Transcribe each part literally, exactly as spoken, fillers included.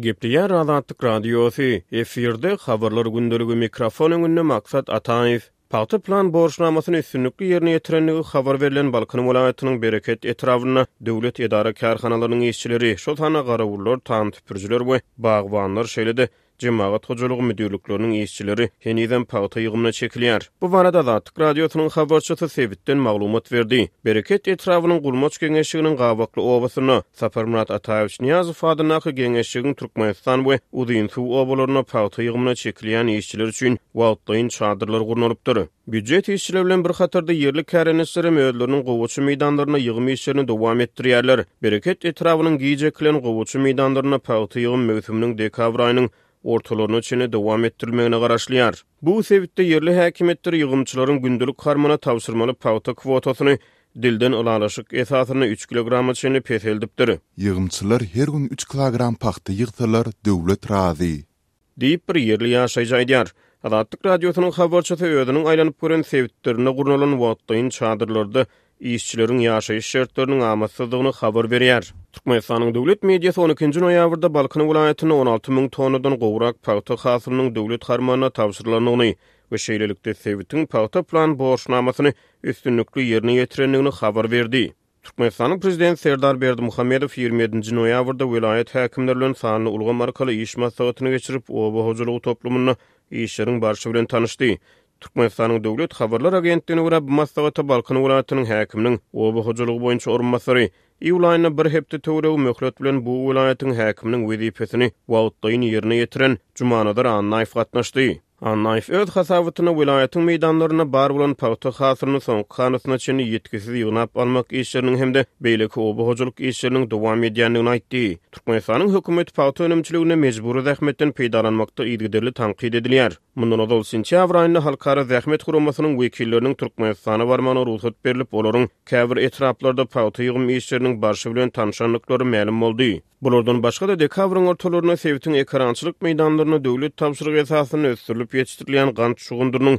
Gepleýär Azatlyk Radiosy, efirde Habarlar gündeligi mikrofon öňünde Maksat Ataýew. Pagta plan borçnamasyny üstünlikli ýerine ýetirendigi habar berlen Balkan welaýatynyň Bereket etrabynda döwlet edara-kärhanalarynyň işçileri, şol sanda garawullar, tam süpürijiler we bagbanlar, şeýle-de Jemagat hojalygy müdirlikleriniň işçileri henizem pagta ýygymyna çekilýär. Bu barada Azatlyk Radiosynyň habarçysy sebitden maglumat berdi. Bereket etrabynyň Gulmaç geňeşliginiň Gabakly obasynda Saparmyrat Ataýewiç Nyýazow adyndaky geňeşligiň Türkmenistan we Uzynsuw obalarynda pagta ýygymyna çekilýän işçiler üçin wagtlaýyn çadyrlar gurnalypdyr. Býujet işçileri bilen bir hatarda ýerli kärendeçiler hem özleriniň gowaça meýdanlarynda ýygym işlerini dowam etdirýärler. Bereket etrabynyň giç ekilen gowaça meýdanlarynda pagta ýygym möwsüminiň dekabr aýynyň ortalaryna çenli dowam etdirilmegine garaşylýar. Bu sebitde ýerli häkimiýetler ýygymçylaryň gündelik harmana tabşyrmaly pagta kwotasyny dilden ylalaşyk esasynda üç kilograma çenli peseldipdir. Ýygymçylar her gün üç kilogram pagta ýygsalar, döwlet razy. Diýip, bir ýerli ýaşaýjy aýdýar. Azatlyk Radiosynyň habarçysy özüniň aýlanyp gören sebitlerinde gurnalan wagtlaýyn çadyrlarda işçileriň ýaşaýyş şertleriniň amatsyzdygyny habar berýär. Türkmenistanyň döwlet mediasy on ikinji noýabrda Balkan welaýatynda on alty müň tonnadan gowrak pagta hasylynyň döwlet harmanyna tabşyrylandygyny we şeýlelikde sebitiň pagta plan borçnamasyny üstünlikli ýerine ýetirendigini habar berdi. Türkmenistanyň Prezidenti Serdar Berdimuhamedow ýigrimi ýedinji noýabrda welaýat häkimleri bilen sanly ulgam arkaly iş maslahatyny geçirip, oba hojalygy toplumynda işleriň barşy bilen tanyşdy. Türkmenistanyň Döwlet habarlar agentligine görä, bu maslahata Balkan welaýatynyň häkiminiň oba hojalygy boýunça orunbasary iýul aýynda bir hepde töweregi möhlet bilen bu welaýatyň häkiminiň wezipesini wagtlaýyn ýerine ýetiren Jumanazar Annaýew gatnaşdy. Annaýew öz hasabatynda welaýatyň meýdanlarynda bar bolan pagta hasylyny soňky hanasyna çenli ýitgisiz ýygnap almak işleriniň hem-de beýleki oba hojalyk işleriniň dowam edýändigini aýtdy. Türkmenistanyň hökümeti pagta önümçiliginde mejbury zähmetden peýdalanmakda yzygiderli tankyt edilýär. Mundan ozal sentýabr aýynda Halkara zähmet guramasynyň wekilleriniň Türkmenistana barmagyna rugsat berlip, olaryň käbir etraplarda pagta ýygym işleriniň barşy bilen tanşandyklary mälim boldy. Bulardan başga-da dekabryň ortalarynda sebitiň ekerançylyk meýdanlarynda döwlet tabşyrygy esasynda ösdürilip ýetişdirilýän gant şugundyrynyň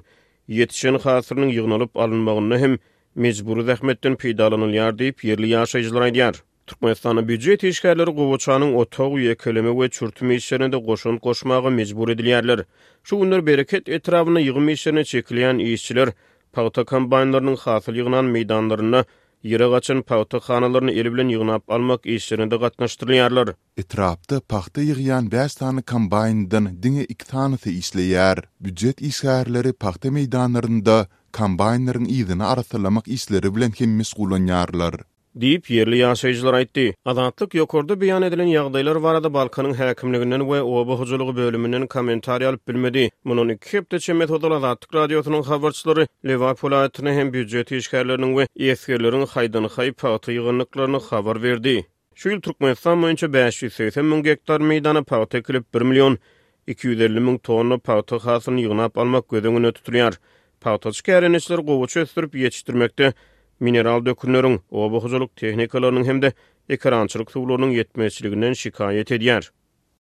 ýetişen hasylynyň ýygnalyp alynmagynda hem mejbury zähmetden peýdalanylýar diýip, ýerli ýaşaýjylar aýdýar. Türkmenistanda býujet işgärleri gowaçanyň otag, ýekeleme we çürtüm işlerine-de goşant goşmaga mejbur edilýärler. Şu günler Bereket etrabynda ýygym işlerine çekilýän işçiler pagta kombaýnlarynyň hasyl ýygnan meýdanlarynda ýere gaçan pagta hanalaryny eli bilen ýygnap almak işlerine-de gatnaşdyrylýarlar. Etrapda pagta ýygýan bäş sany kombaýndan diňe iki sanysy işleýär. Býujet işgärleri pagta meýdanlarynda kombaýnlaryň yzyny arassalamak işleri bilen hem meşgullanýarlar. Diýip, ýerli ýaşaýjylar aýtdy. Azatlyk ýokarda beýan edilen ýagdaýlar barada Balkanyň häkimliginden we oba hojalygy bölüminden kommentariý alyp bilmedi. Mundan iki hepde çemesi ozal Azatlyk Radiosynyň habarçylary Lebap welaýatynda hem býujet işgärleriniň we esgerleriň haýdan-haý pagta ýygyndyklaryny habar berdi. Şu ýyl Türkmenistan boýunça bäş ýüz segsen müň gektar meýdana pagta ekilip, bir million iki ýüz elli müň tonna pagta hasylyny ýygnap almak göz öňünde tutulýar. Pagtaçy kärendeçiler gowaça ösdürip ýetişdirmekde mineral dökünleriň, oba hojalyk tehnikalarynyň hem-de ekerançylyk suwlarynyň ýetmezçiliginden şikaýat edýär.